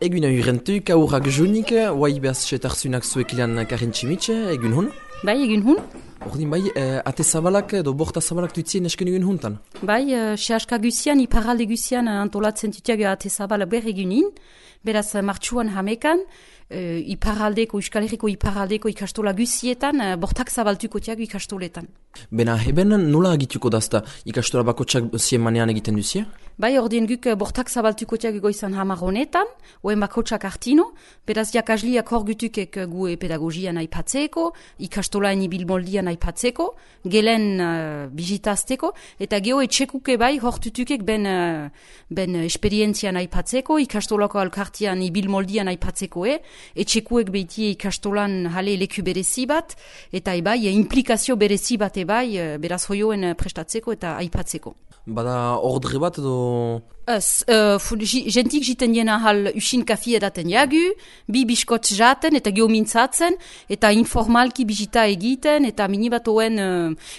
Egun aurrentuk, aurrak junik, guai behaz setarzunak zuekilan Karin Tximitxe, egun hun? Bai, egun hun. Ordin bai, ate zabalak edo borta zabalak dutzien esken egun huntan? Bai, sehaska guzian, iparalde guzian antolatzen dutiago ate zabalak ber egunin, beraz martxuan hamekan, iparaldeko, Euskal Herriko iparaldeko ikastola guzietan, bortak zabaltuko tiago ikastoletan. Bena heben nola agituko dazta ikastola bakotxak zien manean egiten duzie? Bai, ordien guk bortak zabaltuko tiago goizan hamar honetan, oen bakotxak hartino, beraz jakasliak hor gutukek gue pedagogian aipatzeko, ikastolaen ibilmoldian aipatzeko, gelen bizitazteko, eta geho etxekuke bai hor tutukek ben esperientzian aipatzeko, ikastolako alkartian ibilmoldian aipatzeko etxekuek behitie ikastolan jale leku berezi bat, eta bai implikazio berezi bat bai, beraz hoioen prestatzeko eta aipatzeko. Bada ordre bat edo... Gentik jiten jena hal usin kafi edaten jagu, bi biskotz jaten eta geomintzatzen, eta informalki bizita egiten, eta minibat oen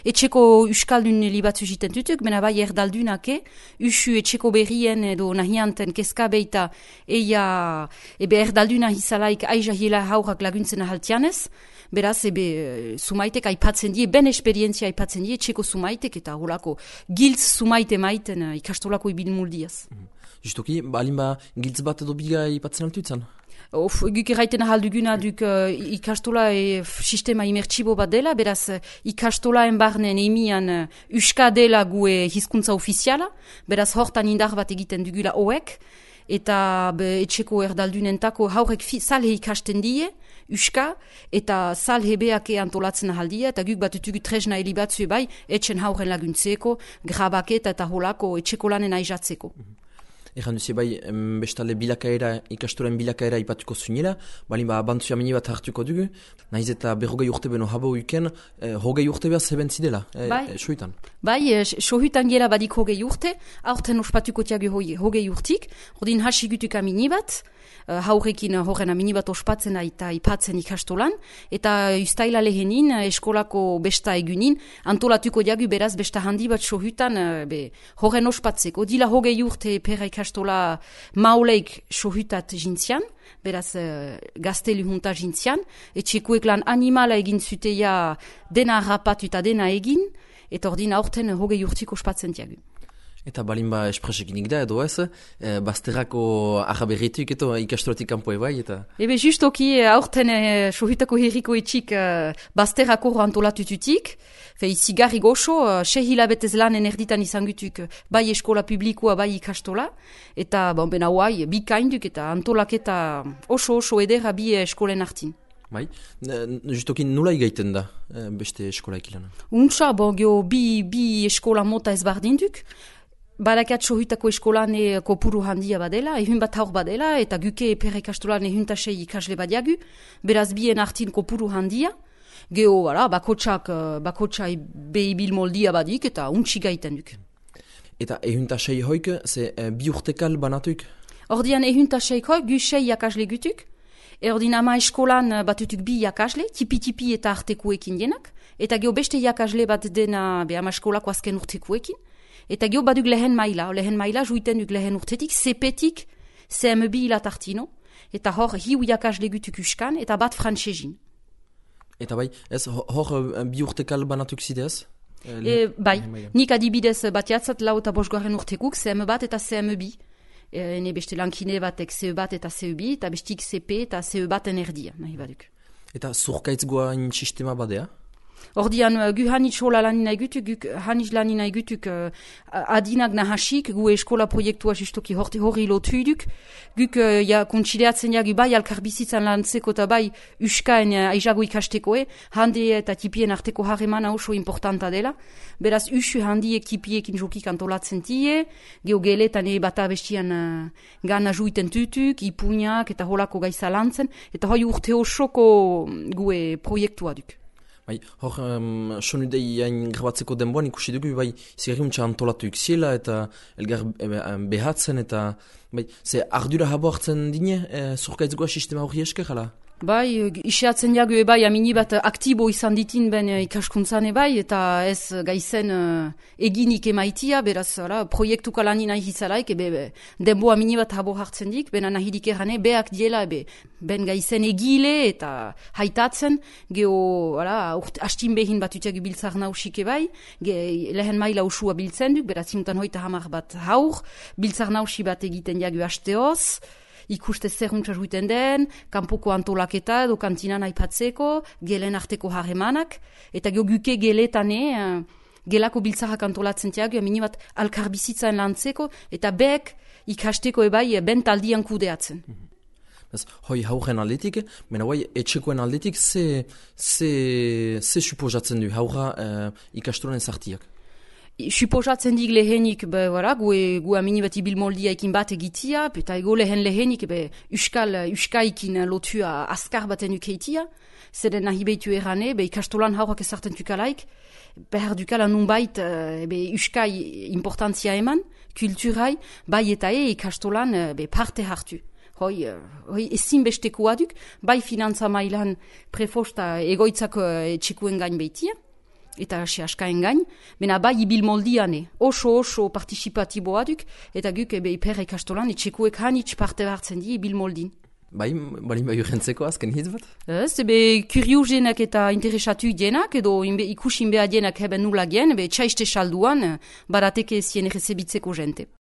etxeko uskaldun libatzu jiten tutuk, mena bai erdaldunake, usu etxeko berrien edo nahianten keska beita ebe erdalduna hizalaik aiza hila haurak laguntzen ahaltianez, beraz, sumaitek aipatzen die, ben esperientzia aipatzen die, etxeko sumaitek eta holako giltz sumaite maiten ikastolako ibilmuldiaz. Justoki, balin giltz bat edo biga aipatzen altuitzan? Guk erraiten ahalduguna duk ikastola sistema imertsibo bat dela, beraz ikastolaen barnen emian uska dela gue hizkuntza ofiziala, beraz hortan indar bat egiten dugula hoek, eta etxeko erdaldunentako haurek salhe ikasten die, uska, eta salhebeak antolatzen ahaldia, eta guk batutugu tresna helibatzue bai, etxen hauren laguntzeko, grabaketa eta holako etxeko lanen aizatzeko. Egan duzie bai, bestale ikastoren bilakaera ipatuko zuinera, balin bantzua mini bat hartuko dugu, nahiz eta berrogei urte beno habo uken, hogei urte behaz heben zidela, sohuitan? Bai, sohuitan gela badik hogei urte, aurten ospatuko tiago hogei urtik, ordin hasigutuk amini bat, haurekin horren amini bat ospatzen eta ipatzen ikastolan, eta ustaila lehenin eskolako besta egunin, antolatuko diagu beraz besta handi bat sohuitan horren ospatzeko. Dila hogei urte pera ikastola mauleik sohuitat jintzian, beraz gaztelu junta jintzian, etxekuek lan animala egin zuteia dena rapatu eta dena egin, eta ordin aurten hogei urtik ospatzen diagu. Eta balin espresekinik da edo ez, bazterrako araberrituk eto ikastolatik kanpoe bai, eta... Ebe justoki aurten sohutako herriko etxik bazterrako antolatututik, zigarri goxo, 6 hilabetez lanen erditan izan gutuk bai eskola publikoa bai ikastola, eta bena huai, bi kainduk eta antolaketa oso edera bi eskolen hartin. Bai, justoki nula igaiten da beste eskola ekilana? Untsa, bi eskola mota ez bardinduk, badakat sohutako eskolan kopuru handia badela, ehun bat haur badela, eta guke pere ikastolan ehuntasei ikasle badiagu, beraz bien hartin kopuru handia, geho, bakotsak behibil moldia badik, eta untsi gaiten duk. Eta ehuntasei hoik, ze bi urtekal banatuik? Ordian ehuntaseik hoik, gu sei jakasle gutuk, ordin ama eskolan batutuk bi jakasle, tipi eta artekuekin denak, eta geho beste jakasle bat dena ama eskolako azken urtekuekin, eta geho baduk lehen maila juiten duk lehen urtetik, sepetik CM2 hilat hartino, eta hor hiu jakasle gutuk uskan, eta bat frantsezin. Eta bai, ez hor bi urtekal banatuk zidez? Bai, nik adibidez batiatzat lau eta bosgarren urtekuk, CM bat eta CM2. Ene beste lankine batek CE bat eta CE2, eta bestik CP eta CE baten erdia, nahi baduk. Eta zurkaitz goain sistema badea? Ordian, gu hanitz hola lanina egutuk, hanitz lanina egutuk adinak nahasik, gu eskola proiektua justoki hori lotuiduk, guk kontsideatzen jagu bai alkarbizitzan lantzeko eta bai uskaen aizago ikastekoe, handi eta tipien arteko harremana oso importanta dela, beraz usu handiek tipiekin jokik antolatzen tie, geho geletan bata bestian gana juiten tutuk, ipuñak eta holako gaiza lantzen, eta hoi urte osoko gue proiektua duk. Bai, hor, sonudei hain grabatzeko denboan ikusi dugu, bai, zigarriuntza antolatu iksiela eta elgar behatzen eta, bai, ze ardura habo hartzen dine, zurkaitzgoa sistema hori esker, hala? Bai, isiatzen jagu bai, amini bat aktibo izan ditin ben ikaskuntzan bai, eta ez gaizen eginik emaitia, beraz, proiektuka lani nahi hizalaik, denbo amini bat habo hartzen dik, bena nahidik errane, beak diela, ben gaizen egile eta haitatzen, geho, hastin behin bat utiak biltzar nausik bai, lehen maila usua biltzen duk, beraz, imutan hoita hamar bat haur, biltzar nausi bat egiten jagu hasteoz, ikuste zerruntza juiten den, kanpoko antolaketa edo kantinan aipatzeko, gelen arteko harremanak, eta guke geletane, gelako biltzarrak antolatzen tiago, amini bat alkarbizitzaen lantzeko, eta bek ikasteko ebai bentaldian kudeatzen. Hoi hauren aldetik, mena guai etxekoen aldetik, ze suposatzen du haura ikastoren zartiak? Suposatzen dik lehenik, gu amini bat ibilmoldia ekin bat egitia, eta ego lehenik, uskaikin lotua askar baten ukeitia, zeren nahi behitu errane, ikastolan haurak ezarten tukalaik, behar dukala nunbait uskai importantzia eman, kulturai, bai eta ikastolan parte hartu. Hoi ezin bestekoa duk, bai finantza mailan prefosta egoitzako etxekuen gain behitia, eta askaen gain, bena bai ibil moldiane, oso participatiboa duk, eta guk iper ikastolan etxekuek hanitz parte hartzen di ibil moldin. Balin bai urrentzeko azken hitz bat? Ez, kuriosenak eta interesatu dienak, edo ikusin behar dienak heben nula gen, txaiste salduan, barateke zien errezebitzeko jente.